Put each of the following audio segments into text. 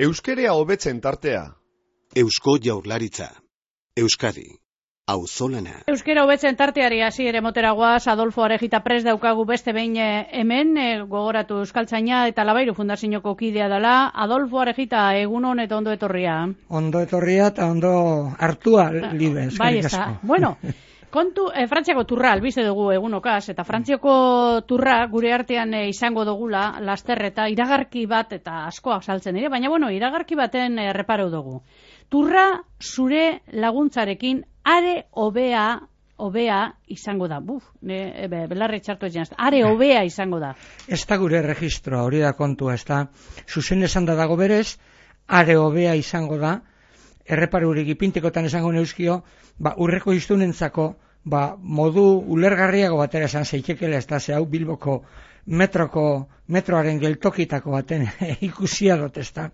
Euskerea hobetzen tartea. Eusko Jaurlaritza. Euskadi. Auzolana. Euskera hobetzen tarteari hasiera moteragoaz, Adolfo Arejita prest daukagu beste behin hemen, gogoratu Euskaltzaina eta Labairu Fundazioko kidea dela. Adolfo Arejita, egunon eta ondo etorria. Ondo etorria eta ondo hartua, libe, eskerrik asko. Bai, bueno, kontu, Frantziako turra albize dugu egunokaz, eta Frantziako turra gure artean izango dugula, laster eta iragarki bat, eta askoak saltzen dira, baina bueno, iragarki baten reparau dugu. Turra zure laguntzarekin are hobea izango da. Belarri txartu ez janaz. Are hobea izango da. Ez da gure registroa, hori da kontua, ez da. Zuzen esan da dago berez, are hobea izango da, erreparurik ipintekotan esango neuzkio, urreko iztunentzako, modu ulergarriago batera esan zeitekela, ez da, ze hau Bilboko metroaren geltokitako baten ikusia dut, ez da.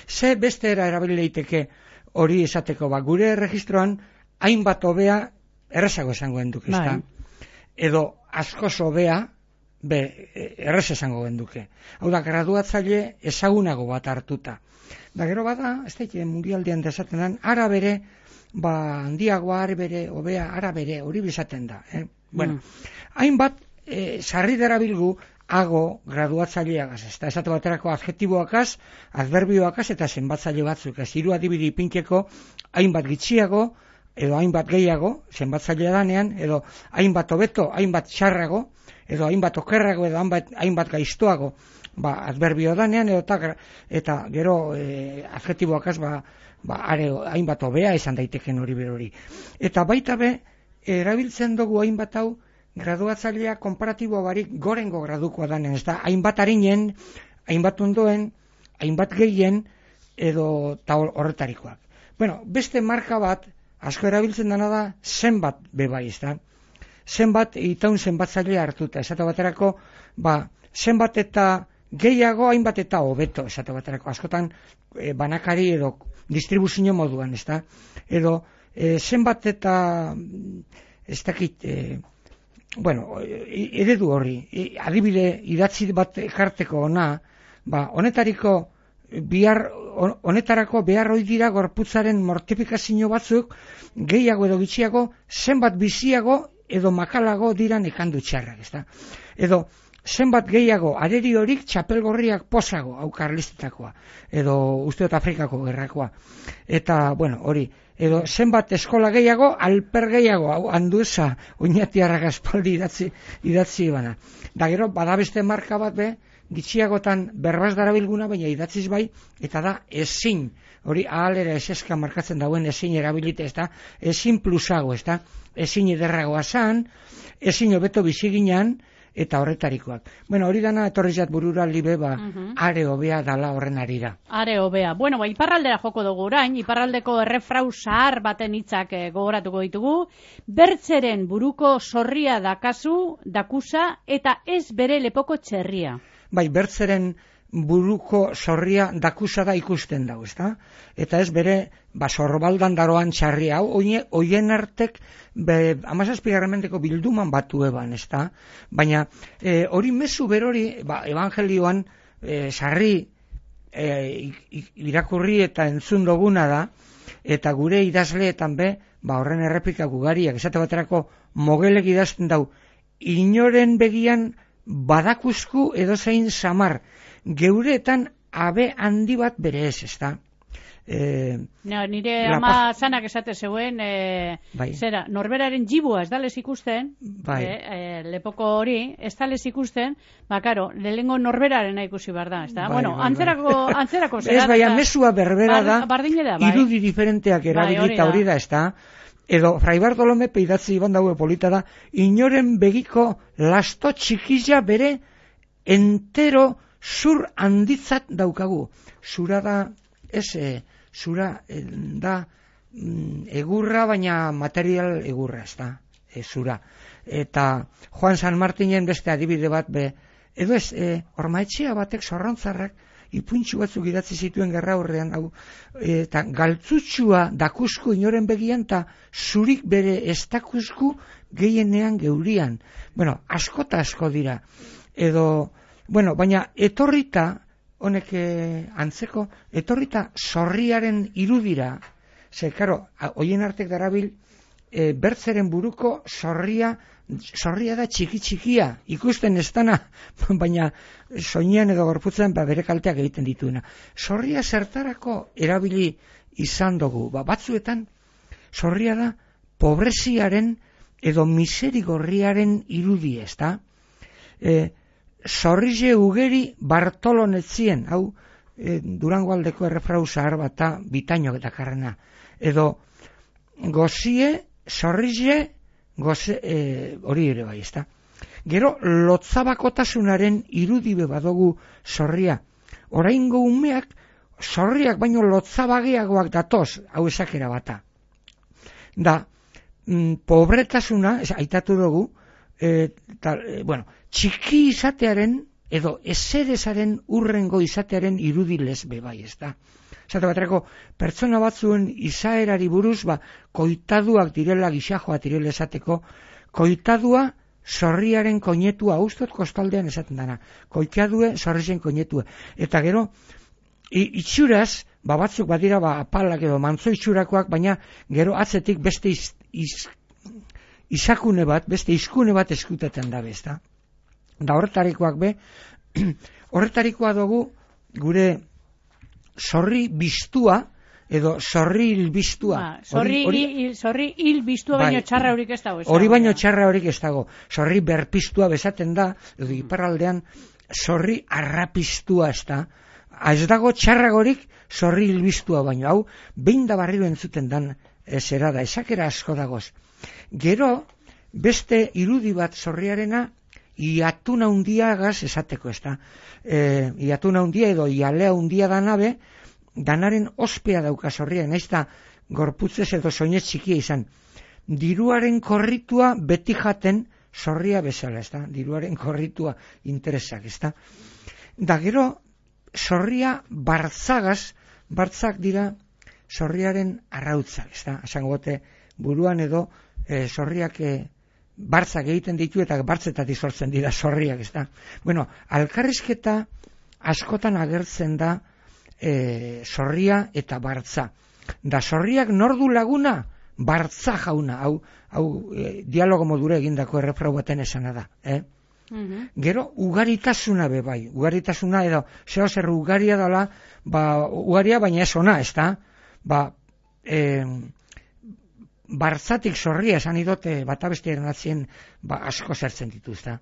Ze beste erabili daiteke hori esateko, gure registroan, hainbat hobea errezago esango genduke, ez da? Edo askoz hobea, errez esango genduke. Hau da, graduatzaile ezagunago bat hartuta. Da gero bada, ez da, mundialdean desaten den, ara bere, handiagoa, ara bere, hobea, ara bere, hori bizaten da. Bueno, hainbat, sarri derabilgu, hago graduatzaileagaz, ez da, esate baterako adjektiboakaz, adverbioakaz eta zenbatzaile batzuk, ez hiru adibide ipinteko, hainbat gitxiago, edo hainbat gehiago, zenbatzailea danean, edo hainbat hobeto, hainbat txarrago, edo hainbat okerrago, edo hainbat gaiztoago, adverbio danean, eta gero adjektiboakaz, hainbat hobea izan daiteken hori berori. Eta baita be, erabiltzen dugu hainbat hau, graduatzailea konparatibo barik gorengo gradukoa danen, ez da, hainbat harinen, hainbat ondoen, hainbat gehien, edo horretarikoak. Bueno, beste marka bat, asko erabiltzen dena da, zenbat bebai, ez da. Zenbat itaun zenbatzailea hartuta, esate baterako, zenbat eta gehiago, hainbat eta hobeto, esate baterako, askotan banakari edo distribuzio moduan, ez da. Edo, zenbat eta, ez dakit, eredu horri, adibide idatzi bat ekarteko ona, honetarako behar hoi dira gorputzaren mortifikazio batzuk, gehiago edo gitxiago, zenbat biziago edo makalago dira nekandu txarrak, ezta? Edo, zenbat gehiago areri horik txapelgorriak posago, hau karlistetakoa, edo usteot Afrikako gerrakoa. Eta, hori, edo zenbat eskola gehiago, alper gehiago, hau handueza, oinatiarrak aspaldi idatzi bana. Da gero, badabeste marka bat gitxiagotan berbaz darabilguna, baina idatziz bai, eta da ezin, hori ahalera eseska markatzen dauen ezin erabilite, ez da, ezin plusago, ez da, ezin ederragoa zan, ezin hobeto biziginan, eta horretarikoak. Hori dana etorrizat burura libe, are hobea dala horren arira. Are hobea. Iparraldera joko dugu orain, iparraldeko errefrau zahar baten hitzak gogoratuko ditugu, bertzeren buruko zorria dakusa eta ez bere lepoko txerria. Bertzeren buruko zorria dakusa da ikusten dago, ezta? Eta ez bere, zorbaldan daroan txarria, hau, oien artek, 17. bilduman batu eban, ezta? Baina, hori mezu berori, evangelioan, sarri irakurri eta entzun duguna da, eta gure idazleetan horren errepika gugariak, esate baterako mogelek idazten dau, inoren begian badakuzku edozein samar, geureetan abe handi bat bere ez, ezta? Nire ama zanak esate zeuen, norberaren jibua ez dales ikusten, lepoko hori, ez dales ikusten, lehengo norberaren ikusi behar da, ez da? Antzerako zera. Ez, baina mesua berbera da, irudi diferenteak erabilita hori da, ez da? Edo, Fray Bartolome peidatzi iban daue polita da, inoren begiko lasto txikila bere entero zur handitzat daukagu. Zura da, zura da egurra, baina material egurra, ez da, zura. Eta Juan San Martinen beste adibide bat, edo ez, ormaetxea batek zorrontzarrak, ipuntxu batzuk idatzi zituen gerra horrean, eta galtzutxua dakusku inoren begian, eta zurik bere ez dakusku gehienean geurian. Asko eta asko dira. Edo, baina etorrita honek antzeko, etorrita zorriaren irudira, ze, karo, hoien artek darabil, bertzeren buruko zorria da txiki-txikia, ikusten ez dana, baina soinean edo gorputzen bere kalteak egiten dituena. Zorria zertarako erabili izan dugu, batzuetan zorria da pobreziaren edo miserigorriaren irudi, ez da? Zorrize ugeri Bartolonetzien, hau Durango aldeko errefrau zahar bat da bitaino eta karrena, edo gozie, zorrize, hori ere bai, ez da? Gero, lotzabakotasunaren irudibe badugu zorria. Oraingo umeak, zorriak baino lotzabageagoak datoz, hau esakera bata. Da, pobretasuna, aitatu dugu, txiki izatearen, edo eserezaren urrengo izatearen irudilez bebai, ez da? Zate baterako, pertsona batzuen izaerari buruz, koitaduak direla, gixajoa direla esateko, koitadua zorriaren koinetua, ustot kostaldean esaten dana, koitadue zorrien koinetua. Eta gero, itxuraz, batzuk badira apalak edo mantzo itxurakoak, baina gero atzetik beste izakune bat, beste izkune bat eskuteten dabe, ez da? Da horretarikoak horretarikoa dugu gure zorri biztua, edo zorri hilbiztua. Zorri hilbiztua baino txarra horik ez dago. Hori baino txarra horik ez dago. Zorri berpiztua bezaten da, edo iparraldean zorri arrapiztua ez da. Ez dago txarragorik zorri hilbiztua baino. Hau, behin da barriro entzuten dan zera da, esakera asko dagoz. Gero, beste irudi bat zorriarena, iatuna hundiagaz esateko ez da. Iatuna hundia edo ialea hundia danabe, danaren ospea dauka zorria, naiz da gorputzez edo soinez txikia izan. Diruaren korritua beti jaten zorria bezala, ez da? Diruaren korritua interesak, ez da? Da gero, zorria bartzagaz, bartzak dira zorriaren arrautzak, ez da? Esangote buruan edo zorriak bartzak egiten ditu eta bartzetatik sortzen dira zorriak, ez da? Bueno, alkarrizketa askotan agertzen da zorria eta bartza. Da zorriak nordu laguna, bartza jauna, hau dialogo modura egindako errefrau baten esana da, Gero, ugaritasuna bai, ugaritasuna edo, zer ugaria dela, ugaria baina ez ona, ez da? Bartzatik zorria esan idote bata beste ernatzen asko zertzen dituzta.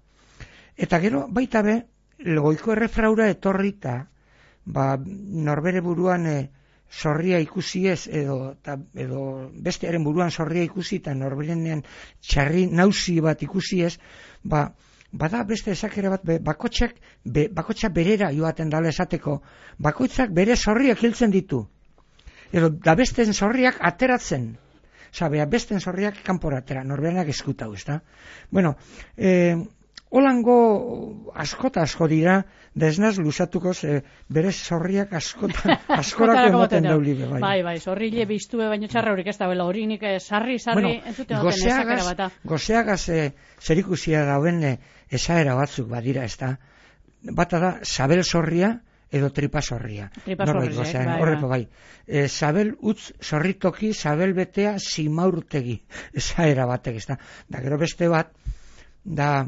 Eta gero, baita be, goiko errefraura etorrita, norbere buruan zorria ikusi ez, edo bestearen buruan zorria ikusi eta norberenean txarri nausi bat ikusi ez, bada beste esakera bat, bakotxak berera joaten dala esateko, bakoitzak bere zorriak hiltzen ditu. Edo da besten zorriak ateratzen. Sabea, besten zorriak kanporatera, norberenak eskutau, ez da? Bueno, holango asko dira, da ez naz luzatuko, bere zorriak askorako emoten daulibe. Bai, zorrile biztue baino txarra horik ez da, hori nik sarri, entzuten duten esakera bata. Gozeagaz zerikusia dauen esaera batzuk badira, ez da? Bata da, sabel zorria, edo tripa zorria. Horrepo bai. Sabel utz zorritoki, sabel betea simaurtegi. Esaera batek, ez da. Da gero beste bat, da,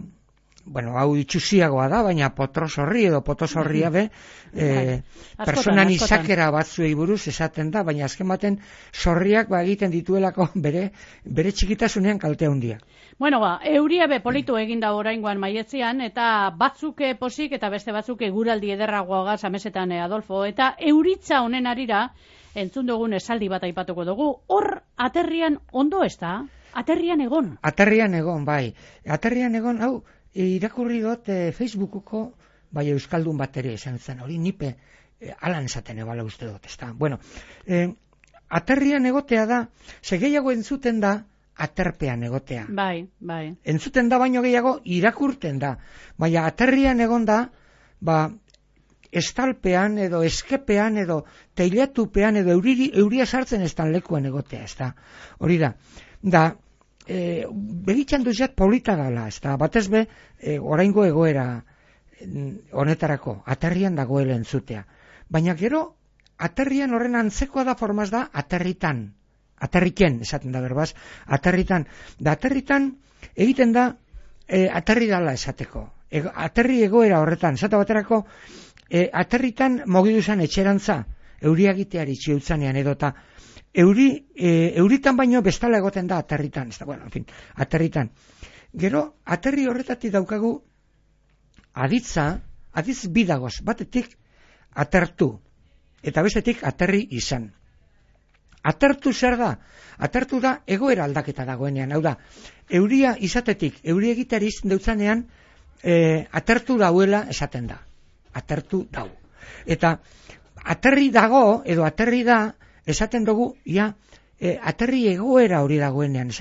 hau itxusiagoa da, baina potro zorri edo poto zorria be, personan izakera batzuei buruz esaten da, baina azken baten zorriak egiten dituelako bere txikitasunean kalte handia. Bueno, euria be politu eginda oraingoan maietzean, eta batzuk posik eta beste batzuk eguraldi ederragoagaz amesetan Adolfo, eta euritza honen arira, entzun dugun esaldi bat aipatuko dugu, hor aterrian ondo ez da? Aterrian egon? Aterrian egon, bai. Aterrian egon, hau, irakurri dut Facebookoko euskaldun bat ere esan zen, hori nipe alan esaten ebala uste dut, ez da? Bueno, aterrian egotea da, gehiago entzuten da, aterpean egotea. Bai. Entzuten da baino gehiago irakurten da. Baina aterrian egon da, estalpean edo eskepean edo teilatupean edo euria sartzen estan lekuan egotea, ez da. Hori da. Da, begitxan duzat polita gala, ez da. Batez be, oraingo egoera honetarako, aterrian dagoela entzutea. Baina gero, aterrian horren antzekoa da formaz da aterritan. Aterriken, esaten da berbaz, aterritan. Da aterritan egiten da aterri dala esateko. Aterri egoera horretan, esate baterako aterritan mogidu zen etxerantza, euriagiteari txiutzanean edota euritan baino bestala egoten da aterritan. Bueno, en fin, aterritan. Gero, aterri horretatik daukagu aditz bidagoz, batetik atertu, eta bestetik aterri izan. Atertu zer da? Atertu da egoera aldaketa dagoenean, hau da, euria izatetik, euri egiteari izan deutzanean, atertu dauela esaten da. Atertu dau. Eta aterri dago, edo aterri da, esaten dugu, aterri egoera hori dagoenean.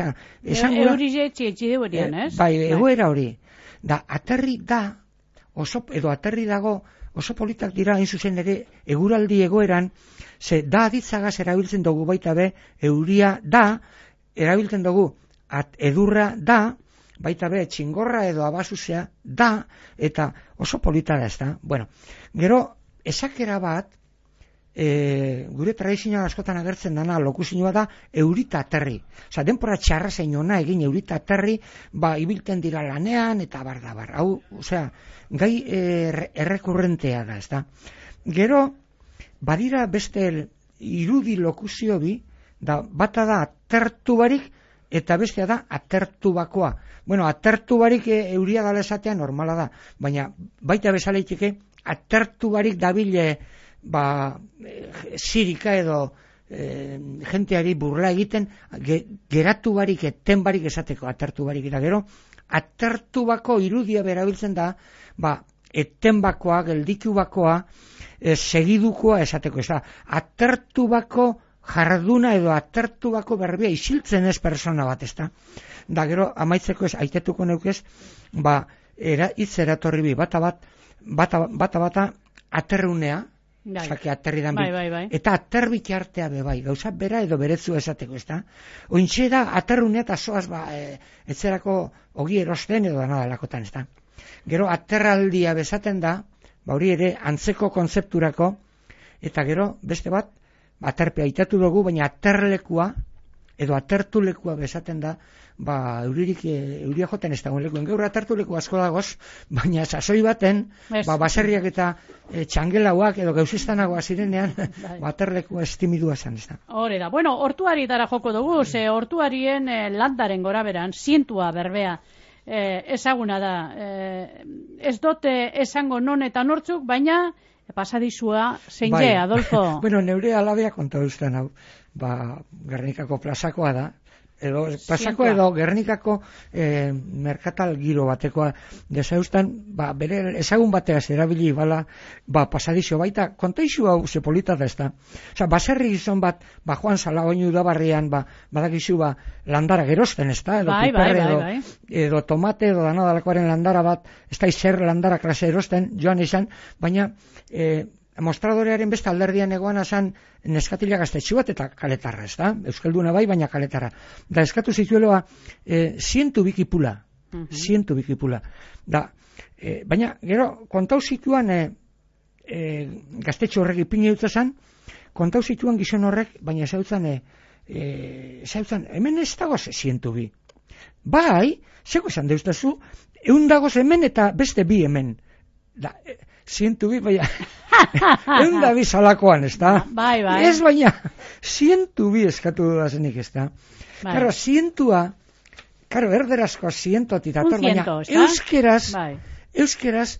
Euri jetxi deuenean, ez? Bai, egoera hori. Da, aterri da, edo aterri dago, oso politak dira hain zuzen ere eguraldi egoeran, ze da aditzagaz erabiltzen dugu baita be, euria da, erabiltzen dugu edurra da, baita be txingorra edo abasuzea da, eta oso polita da ez da. Bueno, gero, esakera bat, gure tradizioa askotan agertzen dana lokuzioa da eurita aterri. Osa, denpora txarra zein ona egin eurita aterri, ibilten dira lanean, eta bar. Hau, osea, gai errekurrentea da, ez da. Gero, badira beste irudi lokuzio bi, bata da atertu barik, eta bestea da atertu bakoa. Bueno, atertu barik euria dala esatea normala da, baina baita bezaleiteke atertu barik dabile zirika edo jenteari burla egiten geratu barik, eten barik esateko atertu barik. Eta gero, atertu bako irudia berabiltzen da, eten bakoa, geldiku bakoa, segidukoa esateko. Ez da, atertu bako jarduna edo atertu bako berbia isiltzen ez persona bat, ez da. Da gero, amaitzeko ez, aitetuko neukez, hitz eratorri bi, bata aterrunea, zake aterri dan bi, eta aterbik artea bebai, gauza bera edo beretzu esateko, ez da. Ointxe da, aterrunea eta zoaz, etzerako ogi erosten edo danadalakotan, ez da. Gero, aterraldia bezaten da, hori ere, antzeko kontzepturako, eta gero, beste bat, aterpea itatu dugu, baina aterlekua, edo atertulekua bezaten da, euria joten ez dagoen lekuen. Gaur atertuleku asko dagoz, baina sasoi baten, baserriak eta txangelauak edo gauzistanagoa zirenean, aterleku estimidua zen, ez da. Hore da. Bueno, hortuari dara joko dugu, ze hortuarien landaren goraberan, zientua berbea ezaguna da. Ez dote esango non eta nortzuk, baina pasadizua zein je, Adolfo? Bueno, neure alabea konta duzten hau, Gernikako plazakoa da, edo plazako edo Gernikako merkatal giro batekoa desaustan, bere ezagun bateaz erabili bala, pasadizio baita, kontaizu hau zepolita da ez da. Osa, baserri gizon bat, Juan Salagoinu udabarrian, badakizu landara gerozten ez da, edo piperre, edo tomate, edo danadalakoaren landara bat, ez da izer landara klase erosten, joan izan, baina mostradorearen beste alderdian egoan azan neskatila gaztetxu bat eta kaletarra, ez da? Euskalduna bai, baina kaletarra. Da, eskatu zitueloa 100 bikipula. 100 bikipula. Da, baina, gero, kontau zituan gaztetxo horrek ipini dut zan, kontau zituan gizon horrek, baina zautzen, hemen ez dagoz 100 bi. Bai, zeko esan deuztazu, 100 dagoz hemen eta beste bi hemen. Da, 100 bi, baina, 100 da bi salakoan, ez da? Bai. Ez baina, 100 bi eskatu dudazenik, ez da? Karo, 100a, erderazkoa 100 dator, baina euskeraz,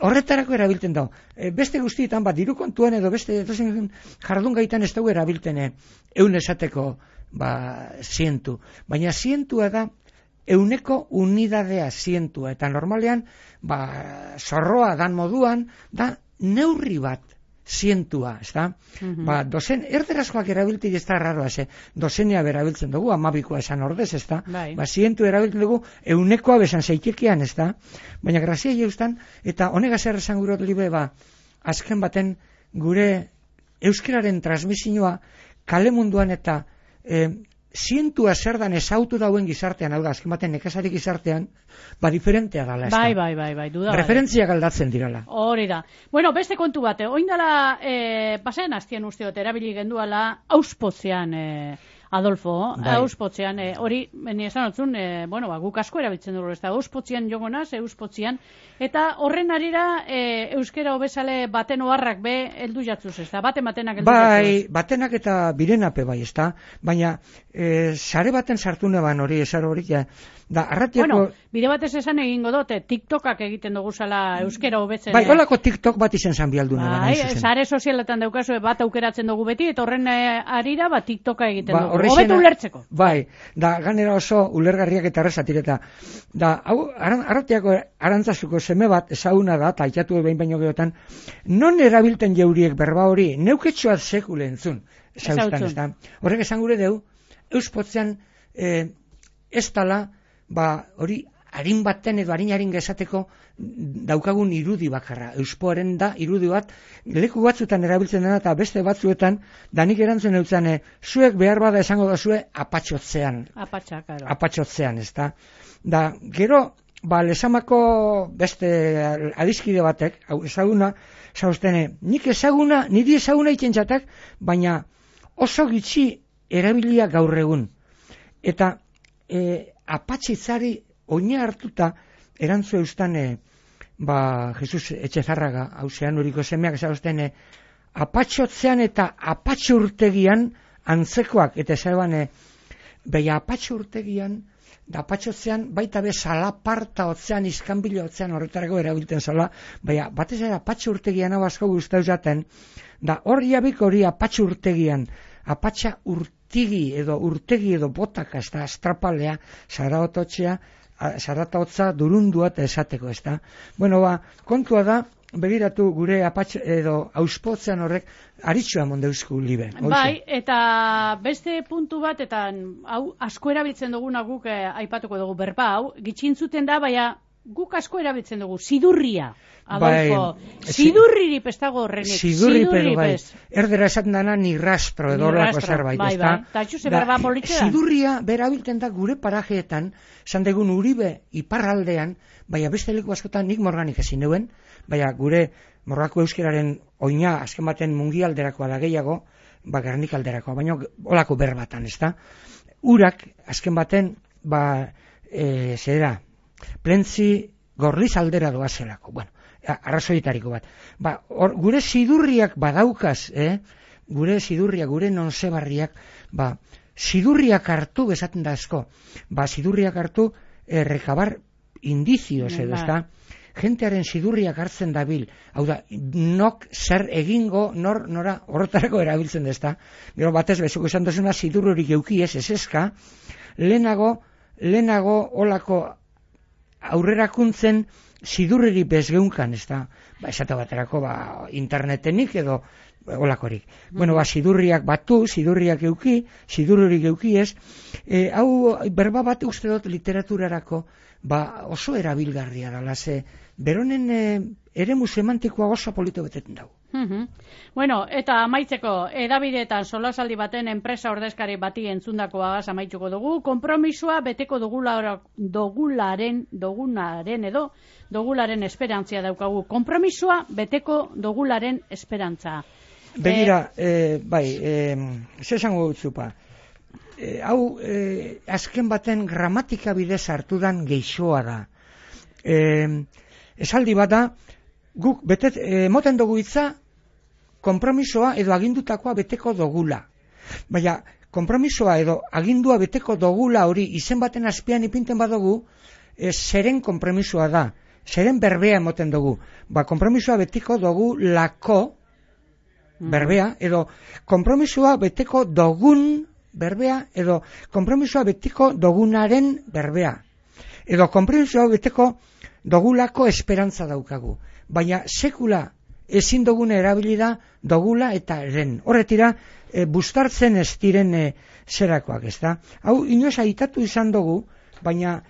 horretarako erabilten dago. Beste guztietan, diru kontuan edo beste jardun gaitan ez dugu erabilten, eun esateko, 100. Baina 100a da, euneko unidadea 100, eta normalean, zorroa dan moduan, da neurri bat 100, ez da? Dozen, erderazkoak erabiltik ez da raroa, dozenea berabiltzen dugu, 12koa esan ordez, ez da? 100 erabiltzen dugu, eunekoa besan zeitekean, ez da? Baina grazia jauztan, eta honegaz errezan gurot libe, azken baten gure euskararen transmisioa kale munduan eta zientua zer dan ezautu dauen gizartean, hau da, azken baten nekazari gizartean, diferentea dala, ez da. Bai, duda. Referentziak aldatzen dirala. Hori da. Bueno, beste kontu bate, oindala, pasean aztien usteot, erabili genduala, auspotzean, Adolfo, auspotzean, hori, ni esan otzun, guk asko erabiltzen dugu, ez da, auspotzean jogonaz, auspotzean, eta horren arira, euskera hobezale baten oharrak be, heldu jatzuz, ez da, batenak heldu jatzuz. Batenak eta birenape bai, ez da, baina, sare baten sartu neban hori, esar hori, da, arratiako... bide batez esan egingo dut, TikTokak egiten dugu zala euskera hobetzen. Bai, holako TikTok bat izen zan bialduna. Bai, sare sozialetan daukazu, bat aukeratzen dugu beti, eta horren arira, TikToka egiten dugu. Hobetu ulertzeko. Bai, da, ganera oso ulergarriak eta errezatireta. Da, hau, arratiako arantzazuko seme bat, ezaguna da, eta aitatu behin baino gehotan, non erabilten jeuriek berba hori, neuketxoat sekule entzun. Zauztan, ez da. Horrek esan gure deu, euspotzean ez tala, hori harin baten edo harin gezateko daukagun irudi bakarra. Euspoaren da irudi bat, leku batzuetan erabiltzen dena eta beste batzuetan, danik erantzun eutzen, zuek behar bada esango da zue apatxotzean. Apatxotzean, ez da. Da, gero, lesamako beste adiskide batek, ezaguna, zauztene, niri ezaguna itxentzatak, baina oso gitxi erabilia gaur egun. Eta apatxitzari oina hartuta erantzu eustan Jesus Etxezarraga hausean uriko semeak zauzten apatxotzean eta apatxurtegian antzekoak eta zeban beha apatxurtegian da apatxotzean baita be salaparta otzean iskanbilo otzean horretarako erabiltzen zala baina batez ere apatxurtegian hau asko guztau jaten da hori abik hori apatxurtegian apatxa urtegi edo botaka ez da astrapalea zarataotza durundua eta esateko ez da. Bueno, kontua da, begiratu gure apatx edo auspotzean horrek aritxua mondeuzku libe. Bai, eta beste puntu bat, eta hau asko erabiltzen duguna guk aipatuko dugu berba hau, gitxintzuten da, baina guk asko erabiltzen dugu, sidurria. Adolfo, sidurriri pestago horrenik. Sidurri, bai. Erdera esaten dana ni rastro edo horrako zerbait, ez da? Eta txuze berba politxean. Sidurria berabilten da gure parajeetan, zandegun Uribe iparraldean, baina beste leku askotan nik morganik ezin neuen, baina gure morgako euskeraren oina azken baten mungialderakoa da gehiago, Gernik alderakoa, baina olako berbatan, ez da? Urak azken baten, zera, plentzi gorliz aldera doazelako, bueno, arrazoitariko bat. Gure sidurriak badaukaz, gure sidurriak, gure nonsebarriak, sidurriak hartu bezaten da asko. Sidurriak hartu rekabar indizioz edo, ez da? Jentearen sidurriak hartzen dabil. Hau da, nok zer egingo, nora horretarako erabiltzen da, ez da? Gero batez, bezuko esan duzuna sidurrurik eukiez, ez eska, lehenago olako aurrerakuntzen sidurriri bezgeunkan, ez da, esate baterako, internetenik edo olakorik. Bueno, sidurriak batu, sidurriak sidurririk eukiez, hau berba bat uste dut literaturarako, oso erabilgarria dala, ze beronen eremu semantikoa oso polito beteten dago. Bueno, eta amaitzeko, edabideetan solasaldi baten enpresa ordezkari bati entzundakoagaz amaituko dugu, konpromisoa beteko dogularen esperantzia daukagu. Konpromisoa beteko dogularen esperantza. Begira, ze esango dutzupa, hau azken baten gramatika bidez hartudan geixoa da. Esaldi bat da, guk moten dugu hitza, konpromisoa edo agindutakoa beteko dogula. Baina, konpromisoa edo agindua beteko dogula hori izen baten azpian ipinten badugu, zeren konpromisoa da, zeren berbea emoten dugu. Konpromisoa beteko dugu lako berbea, edo konpromisoa beteko dogun berbea, edo konpromisoa beteko dogunaren berbea. Edo konpromisoa beteko dogulako esperantza daukagu. Baina sekula ezin dugune erabili da dogula eta ren. Horretira, bustartzen ez diren zerakoak, ez da? Hau, inoz aitatu izan dugu, baina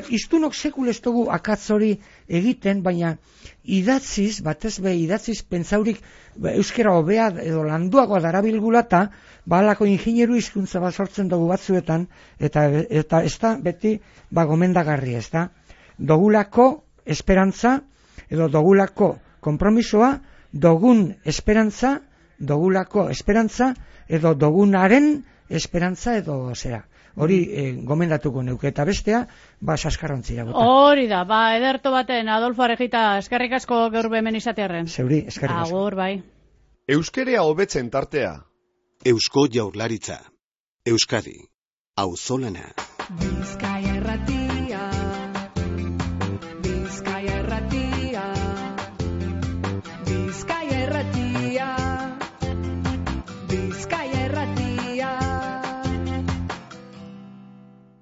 iztunok sekul ez dugu akatz hori egiten, baina idatziz, batez be idatziz pentsaurik euskera hobea edo landuagoa darabilgula eta balako ingineru hizkuntza bat sortzen dugu batzuetan, eta ez da beti gomendagarri, ez da. Dogulako esperantza, edo dogulako konpromisoa, dogun esperantza, edo dogunaren esperantza edo zera. Hori gomendatuko neuke, eta bestea, saskarrontzira bota. Hori da, ederto baten, Adolfo Arejita, eskerrik asko gaur hemen izatearren. Zeuri, eskerrik asko. Agur, bai. Euskerea hobetzen tartea. Eusko Jaurlaritza. Euskadi. Auzolana.